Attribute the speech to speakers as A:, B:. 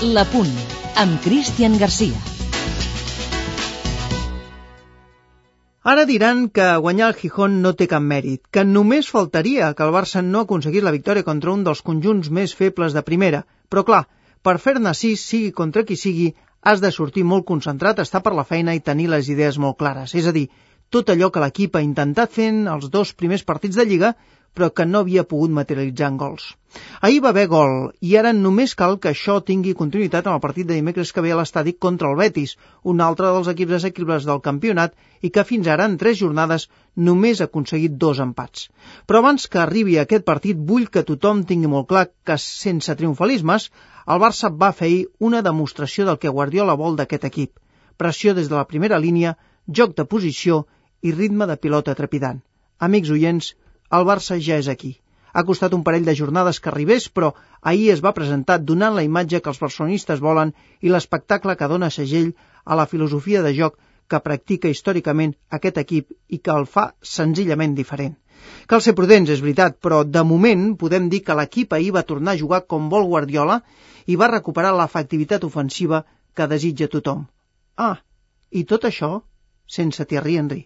A: La Punt, amb Cristian Garcia.
B: Ara diran que guanyar el Gijón no té cap mèrit, que només faltaria que el Barça no aconseguís la victòria contra un dels conjunts més febles de primera. Però clar, per fer-ne 6, sigui contra qui sigui, has de sortir molt concentrat, estar per la feina i tenir les idees molt clares. És a dir, tot allò que l'equip ha intentat fent els 2 primers partits de Lliga, però que no havia pogut materialitzar en gols. Ahir va haver gol, i ara només cal que això tingui continuïtat en el partit de dimecres que ve a l'estadi contra el Betis, un altre dels equips assequibles del campionat i que fins ara en 3 jornades només ha aconseguit 2 empats. Però abans que arribi aquest partit vull que tothom tingui molt clar que sense triomfalismes el Barça va fer ahir una demostració del que Guardiola vol d'aquest equip. Pressió des de la primera línia, joc de posició i ritme de pilota trepidant. Amics oients, el Barça ja és aquí. Ha costat un parell de jornades que arribés, però ahir es va presentar donant la imatge que els barcelonistes volen i l'espectacle que dona segell a la filosofia de joc que practica històricament aquest equip i que el fa senzillament diferent. Cal ser prudents, és veritat, però de moment podem dir que l'equip ahir va tornar a jugar com vol Guardiola i va recuperar l'efectivitat ofensiva que desitja tothom. I tot això sense Thierry Henry.